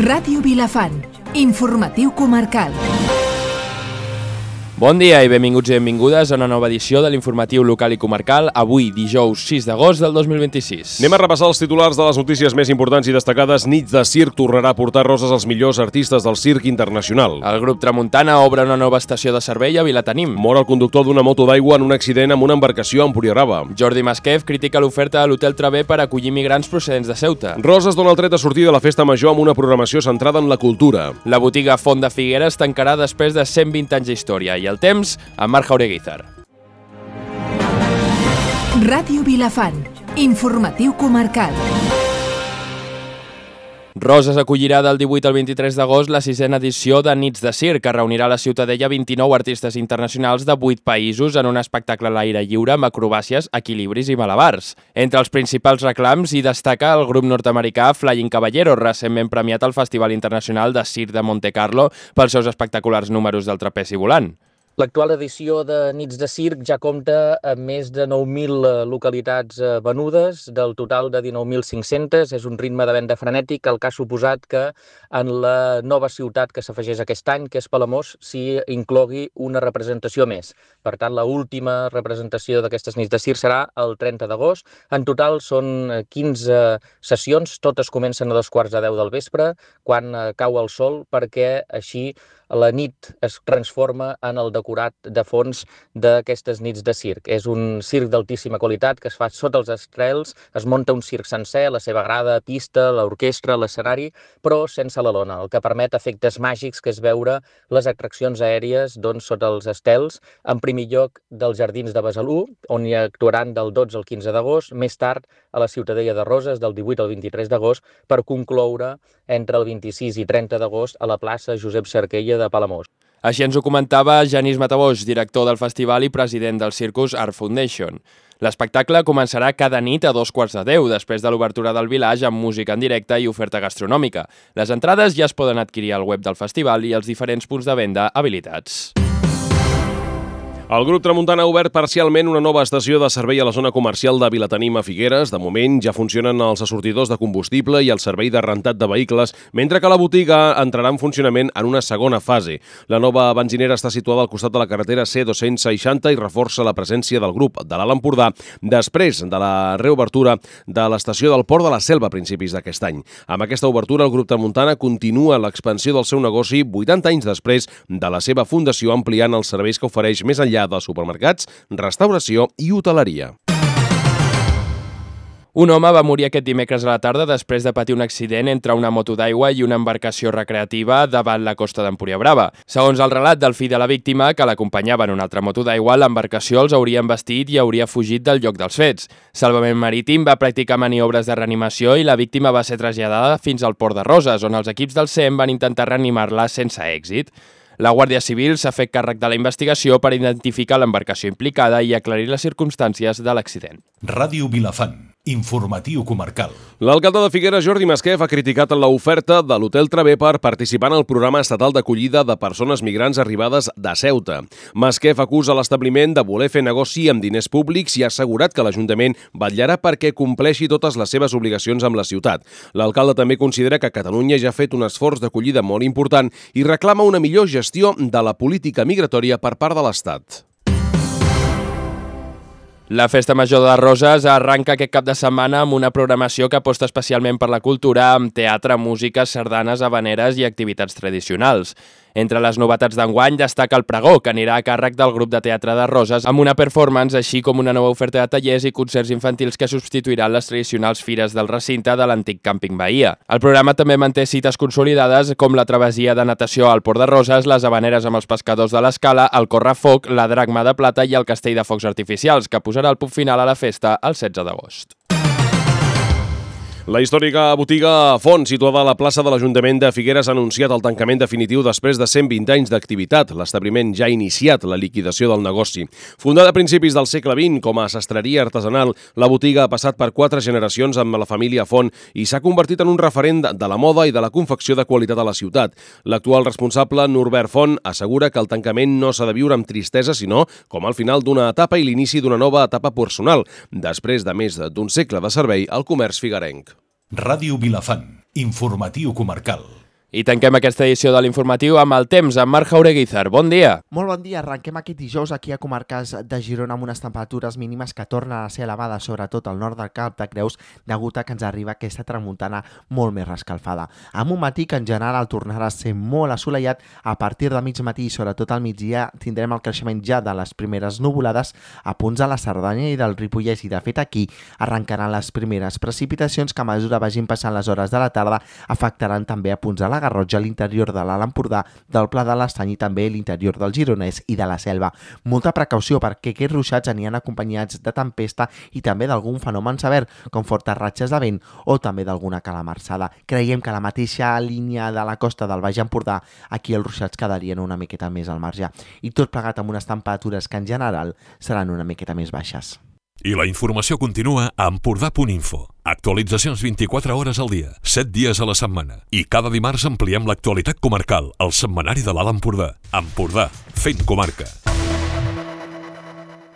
Ràdio Vilafant, informatiu comarcal. Bon dia i benvinguts i benvingudes a una nova edició de l'informatiu local i comarcal, avui dijous 6 d'agost del 2026. Anem a repassar els titulars de les notícies més importants i destacades. Nits de circ tornarà a portar roses als millors artistes del circ internacional. El grup Tramuntana obre una nova estació de servei a Vilatenim. Mor el conductor d'una moto d'aigua en un accident amb una embarcació a Empuriabrava. Jordi Masquef critica l'oferta de l'Hotel Travé per acollir migrants procedents de Ceuta. Roses dona el tret de sortida a la festa major amb una programació centrada en la cultura. La botiga Font de Figueres tancarà després de 120 anys d'història i el temps amb Marc Jaureguizar. Ràdio Vilafant, informatiu comarcal. Roses acollirà del 18 al 23 d'agost la 6a edició de Nits de Circ, que reunirà a la Ciutadella 29 artistes internacionals de 8 països en un espectacle a l'aire lliure amb acrobàcies, equilibris i malabars. Entre els principals reclams hi destaca el grup nord-americà Flying Caballero, recentment premiat al Festival Internacional de Circ de Monte Carlo pels seus espectaculars números del trapezi volant. L'actual edició de Nits de Circ ja compta amb més de 9.000 localitats venudes, del total de 19.500. És un ritme de venda frenètic, el que ha suposat que en la nova ciutat que s'afegeix aquest any, que és Palamós, s'hi inclogui una representació més. Per tant, l'última representació d'aquestes Nits de Circ serà el 30 d'agost. En total són 15 sessions, totes comencen a 2:15 del vespre, quan cau el sol, perquè així la nit es transforma en el decorat de fons d'aquestes Nits de Circ. És un circ d'altíssima qualitat que es fa sota els estrels, es munta un circ sencer, la seva grada, pista, l'orquestra, l'escenari, però sense la lona, el que permet efectes màgics, que és veure les atraccions aèries sota els estels, en primer lloc dels Jardins de Besalú, on hi actuaran del 12 al 15 d'agost, més tard a la Ciutadella de Roses, del 18 al 23 d'agost, per concloure entre el 26 i 30 d'agost a la plaça Josep Cerquella de Palamós. Així ens ho comentava Genís Mataboix, director del festival i president del Circus Art Foundation. L'espectacle començarà cada nit a 9:15, després de l'obertura del Village amb música en directe i oferta gastronòmica. Les entrades ja es poden adquirir al web del festival i als diferents punts de venda habilitats. El grup Tramuntana ha obert parcialment una nova estació de servei a la zona comercial de Vilatenim a Figueres. De moment ja funcionen els assortidors de combustible i el servei de rentat de vehicles, mentre que la botiga entrarà en funcionament en una segona fase. La nova benzinera està situada al costat de la carretera C260 i reforça la presència del grup de l'Alt Empordà després de la reobertura de l'estació del Port de la Selva a principis d'aquest any. Amb aquesta obertura, el grup Tramuntana continua l'expansió del seu negoci 80 anys després de la seva fundació, ampliant els serveis que ofereix més enllà de supermercats, restauració i hoteleria. Un home va morir aquest dimecres a la tarda després de patir un accident entre una moto d'aigua i una embarcació recreativa davant la costa d'Empuriabrava. Segons el relat del fill de la víctima, que l'acompanyava en una altra moto d'aigua, l'embarcació els hauria embestit i hauria fugit del lloc dels fets. Salvament Marítim va practicar maniobres de reanimació i la víctima va ser traslladada fins al Port de Roses, on els equips del SEM van intentar reanimar-la sense èxit. La Guàrdia Civil s'ha fet càrrec de la investigació per identificar l'embarcació implicada i aclarir les circumstàncies de l'accident. Ràdio Vilafant, informatiu comarcal. L'alcalde de Figueres, Jordi Masquef, ha criticat l'oferta de l'Hotel Travé per participar en el programa estatal d'acollida de persones migrants arribades de Ceuta. Masquef acusa l'establiment de voler fer negoci amb diners públics i ha assegurat que l'Ajuntament vetllarà perquè compleixi totes les seves obligacions amb la ciutat. L'alcalde també considera que Catalunya ja ha fet un esforç d'acollida molt important i reclama una millor gestió de la política migratòria per part de l'Estat. La Festa Major de Roses arranca aquest cap de setmana amb una programació que aposta especialment per la cultura, amb teatre, música, sardanes, havaneres i activitats tradicionals. Entre les novetats d'enguany destaca el pregó, que anirà a càrrec del grup de teatre de Roses, amb una performance, així com una nova oferta de tallers i concerts infantils que substituiran les tradicionals fires del recinte de l'antic càmping Bahia. El programa també manté cites consolidades com la travessia de natació al Port de Roses, les havaneres amb els pescadors de l'Escala, el correfoc, la dracma de plata i el castell de focs artificials, que posarà el punt final a la festa el 16 d'agost. La històrica botiga Font, situada a la plaça de l'Ajuntament de Figueres, ha anunciat el tancament definitiu després de 120 anys d'activitat. L'establiment ja ha iniciat la liquidació del negoci. Fundada a principis del segle XX com a sastreria artesanal, la botiga ha passat per 4 generacions amb la família Font i s'ha convertit en un referent de la moda i de la confecció de qualitat a la ciutat. L'actual responsable, Norbert Font, assegura que el tancament no s'ha de viure amb tristesa, sinó com al final d'una etapa i l'inici d'una nova etapa personal, després de més d'un segle de servei al comerç figuerenc. Ràdio Vilafant, informatiu comarcal. I tanquem aquesta edició de l'informatiu amb el temps, amb Marc Jaureguizar. Bon dia. Molt bon dia. Arrenquem aquest dijous aquí a comarques de Girona amb unes temperatures mínimes que tornen a ser elevades, sobretot al nord del Cap de Creus, degut a que ens arriba aquesta tramuntana molt més rescalfada. Amb un matí que en general tornarà a ser molt assolellat, a partir de mig matí i sobretot al migdia tindrem el creixement ja de les primeres nuvolades a punts de la Cerdanya i del Ripollès, i de fet aquí arrencaran les primeres precipitacions que a mesura vagin passant les hores de la tarda afectaran també a punts de la Garrotxa, l'interior de l'Alt Empordà, del Pla de l'Estany i també l'interior del Gironès i de la Selva. Molta precaució perquè aquests ruixats aniran acompanyats de tempesta i també d'algun fenomen sever, com fortes ratxes de vent o també d'alguna calamarsada. Creiem que a la mateixa línia de la costa del Baix Empordà, aquí els ruixats quedarien una miqueta més al marge. I tot plegat amb unes temperatures que en general seran una miqueta més baixes. I la informació continua a Empordà.info. Actualitzacions 24 hores al dia, 7 dies a la setmana. I cada dimarts ampliem l'actualitat comarcal, al setmanari de l'Alt Empordà. Empordà, fent comarca.